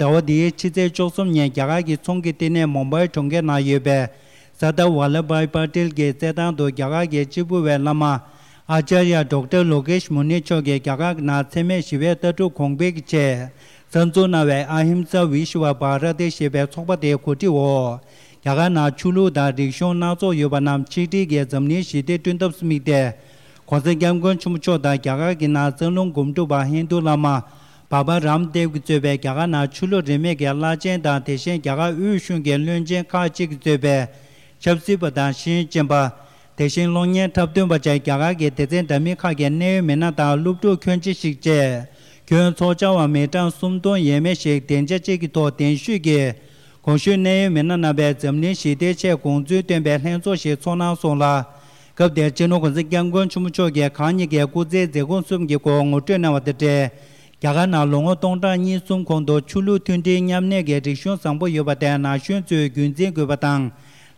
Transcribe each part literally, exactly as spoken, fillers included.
ཟླ་བ་འདིའི་ཕྱི་ཚེས་བཅུ་གསུམ་ཉིན་རྒྱ་གར་གྱི་ཚོང་གི་བསྟི་གནས་མུམ་བྷའི་གྲོང་ཁྱེར་ནང་ཡོད་པའི་སར་དར་ཝཱ་ལ་བྷའི་པ་ཏེལ་གྱི་རྩེད་ཐང་དུ་རྒྱ་གར་གྱི་གཅེར་བུ་བའི་བླ་མ་ཨཱ་ཅཱརྱ་ཌོག་ཊར་ལོ་ཀེཤ་མུ་ནི་མཆོག་གིས་རྒྱ་གར་གྱི་ནང་འཚེ་མེད་ཞི་བའི་ལྟ་གྲུབ་གོང་འཕེལ་གྱི་ཆེད་གསར་འཛུགས་གནང་བའི་ཨ་ཧིམ་ས་བི་ཤ་ཝ་བྷ་ར་ཏི་ཞེས་པའི་ཚོགས་པ་དེའི་གོ་སྒྲིག་འོག་རྒྱ་གར་ནང་ཆོས་ལུགས་དང་རིག་གཞུང་སྣ་ཚོགས་ཡོད་པ་རྣམས་ཆིག་སྒྲིལ་གྱིས་འཛམ་གླིང་ཞི་བདེ་བསྐྲུན་ཐབས་སུ་དམིགས་ཏེ། གོང་ས་སྐྱབས་མགོན་ཆེན་པོ་མཆོག་དང་རྒྱ་གར་གྱི་ནང་རྩ་རླུང་སྒོམ་སྒྲུབ་པ་ཧིན་རྡུ་བླ་མ་བྷ་བྷ་རམ་དེབ་ཀྱིས་གཙོས་པའི་རྒྱ་གར་ནང་ཆོས་ལུགས་རིས་མེད་ཀྱི་བླ་ཆེན་དང་དེ་བཞིན་རྒྱ་གར་དབུས་གཞུང་གི་བློན་ཆེན་ཁག་ཅིག་གིས་གཙོས་པའི་ཆབ་སྲིད་པ་དང་ཤེས་ཡོན་ཅན་པ། དེ་བཞིན་གློག་བརྙན་འཁྲབ་སྟོན་པ་བཅས་རྒྱ་གར་གྱི་སྡེ་ཚན་འདྲ་མིན་ཁག་གི་གནད་ཡོད་མི་སྣ་དང་སློབ་ཕྲུག་ཁྱོན་ཆེ་ཞིག་བཅས་ཁྱོན་ཚོགས་བཅར་བ་མི་གྲངས་སུམ་སྟོང་ཡས་མས་ཤིག་སྡིངས་ཆ་གཅིག་གི་ཐོག་གདན་ཞུས་ཀྱིས། གོང་ཞུས་གནད་ཡོད་མི་སྣ་རྣམ་པས་འཛམ་གླིང་ཞི་བདེའི་ཆེད་དགོངས་ཚུལ་བཏོན་པའི་ལྷན་ཚོགས་ཤིག་ཚོགས་གནང་སོང་ལ། སྐབས་དེར་སྤྱི་ནོར་གོང་ས་སྐྱབས་མགོན་ཆེན་པོ་མཆོག་གིས་གང་ཉིད་ཀྱི་སྐུ་ཚེའི་མཛད་སྒོ་གསུམ་གྱི་སྐོར་ངོ་སྤྲོད་གནང་བ་དང་འབྲེལ། རྒྱ་གར་ནང་ལོ་ངོ་སྟོང་ཕྲག་གཉིས་གསུམ་གོང་དུ་ཆོས་ལུགས་མཐུན་སྒྲིལ་མཉམ་གནས་ཀྱི་རིག་གཞུང་བཟང་པོ་ཡོད་པ་དེ་ན་གཞོན་ཚོས་རྒྱུན་འཛིན་དགོས་པ་དང་།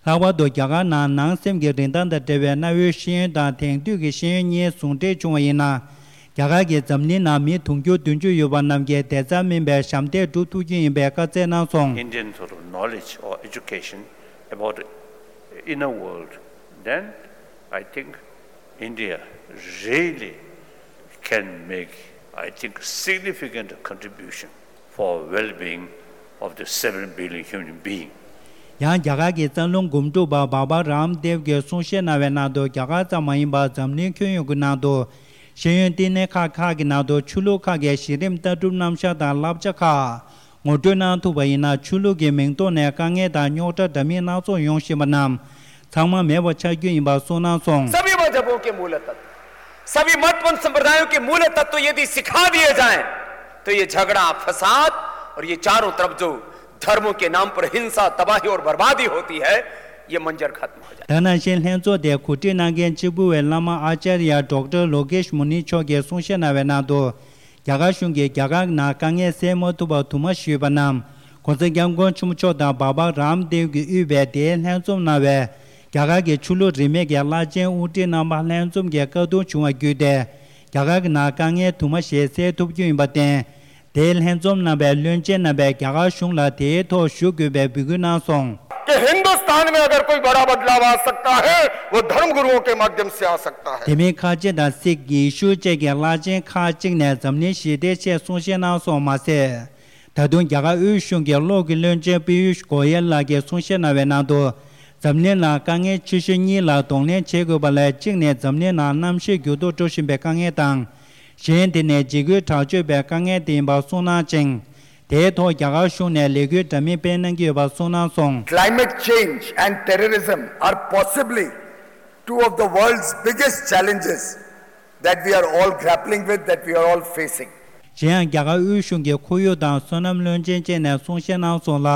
ལྷག་པར་དུ་རྒྱ་གར་ནང་ནང་སེམས་ཀྱི་རིན་ཐང་དང་འབྲེལ་བའི་གནའ་བོའི་ཤེས་ཡོན་དང་དེང་དུས་ཀྱི་ཤེས་ཡོན་གཉིས་ཟུང་འབྲེལ་བྱུང་བ་ཡིན་ན། རྒྱ་གར་གྱིས་འཛམ་གླིང་ནང་མི་དུང་ཕྱུར་བདུན་ཅུ་ཡོད་པ་རྣམས་ཀྱི་བདེ་རྩ་སྨིན་པའི་ཞབས་འདེགས་སྒྲུབ་ཐུབ་རྒྱུ་ཡིན་པའི་བཀའ་སྩལ་གནང་སོང་། Indian sort of knowledge or education about the inner world, then I think India really can make, I think, significant contribution for well-being of the seven billion human being. ཡང་རྒྱ་གར་གྱི་རྩ་རླུང་སྒོམ་སྒྲུབ་པ་བྷ་བྷ་རམ་དེབ་ཀྱིས་གསུང་བཤད་གནང་བའི་ནང་དུ་རྒྱ་གར་ཙམ་མ་ཡིན་པར་འཛམ་གླིང་ཁྱོན་ཡོངས་ཀྱི་ནང་དུ་ཤེས་ཡོན་བསྟི་གནས་ཁག་ཁག་གི་ནང་དུ་ཆོས་ལུགས་ཁག་གི་གཞི་རིམ་ལྟ་གྲུབ་རྣམ་གཞག་དང་བསླབ་བྱ་ཁག་ངོ་སྤྲོད་གནང་ཐུབ་པ་ཡིན་ན་ཆོས་ལུགས་ཀྱི་མིང་ཐོག་ནས་དཀའ་ངལ་དང་རྙོག་དྲ་འདྲ་མིན་སྣ་ཚོགས་ཡོང་བཞིན་པ་རྣམས་ཚང་མ་མེད་པ་ཆགས་རྒྱུ་ཡིན་པ་གསུངས་གནང་སོང་། सभी मजहबों के मूल तत्व, सभी मत पंथ संप्रदायों के मूल तत्व यदि सिखा दिए जाएं, तो ये झगड़ा, फसाद और ये चारों तरफ जो धर्मों के नाम पर हिंसा, तबाही और बर्बादी होती है, ये मंजर खत्म हो जाए। ད་ནང་བཞིན་ལྷན་ཚོགས་དེ་གོ་སྒྲིག་གནང་མཁན་གཅིག་པུ་བའི་བླ་མ་ཨཱ་ཅཱརྱ་ཌོག་ཊར་ལོ་ཀེཤ་མུ་ནི་མཆོག་གིས་གསུང་བཤད་གནང་བའི་ནང་དུ། རྒྱ་གར་གཞུང་གིས་རྒྱ་གར་ནང་དཀའ་ངལ་སེལ་མ་ཐུབ་པར་དུ་མ་ཞུས་པ་རྣམས་གོང་ས་སྐྱབས་མགོན་ཆེན་པོ་མཆོག་དང་བྷ་བྷ་རམ་དེབ་ཀྱིས་དབུས་པའི་དེའི་ལྷན་འཛོམས་གནང་བའི་རྒྱ་གར་གྱི་ཆོས་ལུགས་རིས་མེད་ཀྱི་བླ་ཆེན་དབུ་ཁྲིད་རྣམ་པ་ལྷན་འཛོམས་ཀྱི་བཀའ་བསྡུར་བྱུང་བ་བརྒྱུད་དེ་རྒྱ་གར་གྱི་ནང་དཀའ་ངལ་དུ་མ་ཞིག་སེལ་ཐུབ་རྒྱུ་ཡིན་པར་བརྟེན། དེའི་ལྷན་འཛོམས་གནང་བའི་བློན་ཆེན་རྣམ་པས་རྒྱ་གར་གཞུང་ལ་དེའི་ཐོག་ཞུ་དགོས་པའི་འབོད་སྐུལ་གནང་སོང་། कि हिंदुस्तान में अगर कोई बड़ा बदलाव आ सकता है, वो धर्म गुरुओं के माध्यम से आ सकता है। དེ་མིན་ཁ་ཆེ་དང་སིག་ཡེ་ཤུ་བཅས་ཀྱི་བླ་ཆེན་ཁག་ཅིག་ནས་འཛམ་གླིང་ཞི་བདེའི་ཆེད་གསུང་བཤད་གནང་སོང་མ་ཟད། ད་དུང་རྒྱ་གར་དབུས་གཞུང་གི་གློག་གི་བློན་ཆེན་པི་ཡུཤ་གོ་ཡལ་ལགས་ཀྱིས་གསུང་བཤད་གནང་བའི་ནང་དུ། འཛམ་གླིང་ནང་དཀའ་ངལ་ཆེ་ཤོས་གཉིས་ལ་གདོང་ལེན་བྱེད་དགོས་པ་ལས་གཅིག་ནི་འཛམ་གླིང་ནང་གནམ་གཤིས་འགྱུར་ལྡོག་འགྲོ་བཞིན་པའི་དཀའ་ངལ་དང་། གཞན་དེ་ནི་འཇིགས་སྐུལ་དྲག་སྤྱོད་པའི་དཀའ་ངལ་དེ་ཡིན་པ་གསུངས་གནང་ཅིང་། དེའི་ཐོག་རྒྱ་གར་གཞུང་ནས་ལས་འགུལ་འདྲ་མིན་སྤེལ་གནང་གི་ཡོད་པ་གསུངས་གནང་སོང་། Climate change and terrorism are possibly two of the world's biggest challenges that we are all grappling with, that we are all facing. གཞན་ཡང་རྒྱ་གར་དབུས་གཞུང་གི་ཁོར་ཡུག་དང་སོ་ནམ་བློན་ཆེན་བཅས་ནས་གསུང་བཤད་གནང་སོང་ལ།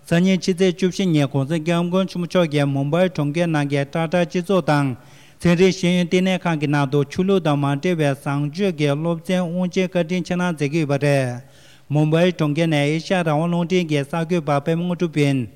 སང་ཉིན་ཕྱི་ཚེས་བཅུ་བཞི་ཉིན་གོང་ས་སྐྱབས་མགོན་ཆེན་པོ་མཆོག་གིས་མུམ་བྷའི་གྲོང་ཁྱེར་ནང་གི་ཊ་ཊ་སྤྱི་ཚོགས་དང་། ཚན་རིག་ཤེས་ཡོན་བསྟི་གནས་ཁང་གི་ནང་དུ་ཆོས་ལུགས་དང་མ་འབྲེལ་བའི་བཟང་སྤྱོད་ཀྱི་སློབ་ཚན་དབུ་འབྱེད་བཀའ་དྲིན་ཆེ་གནང་མཛད་ཀྱི་ཡོད་པ་རེད། མུམ་བྷའི་གྲོང་ཁྱེར་ནས་ཨེ་ཤ་ཡ་རང་དབང་རླུང་འཕྲིན་གྱི་གསར་འགོད་པ་པད་མ་དངོས་གྲུབ་ཡིན།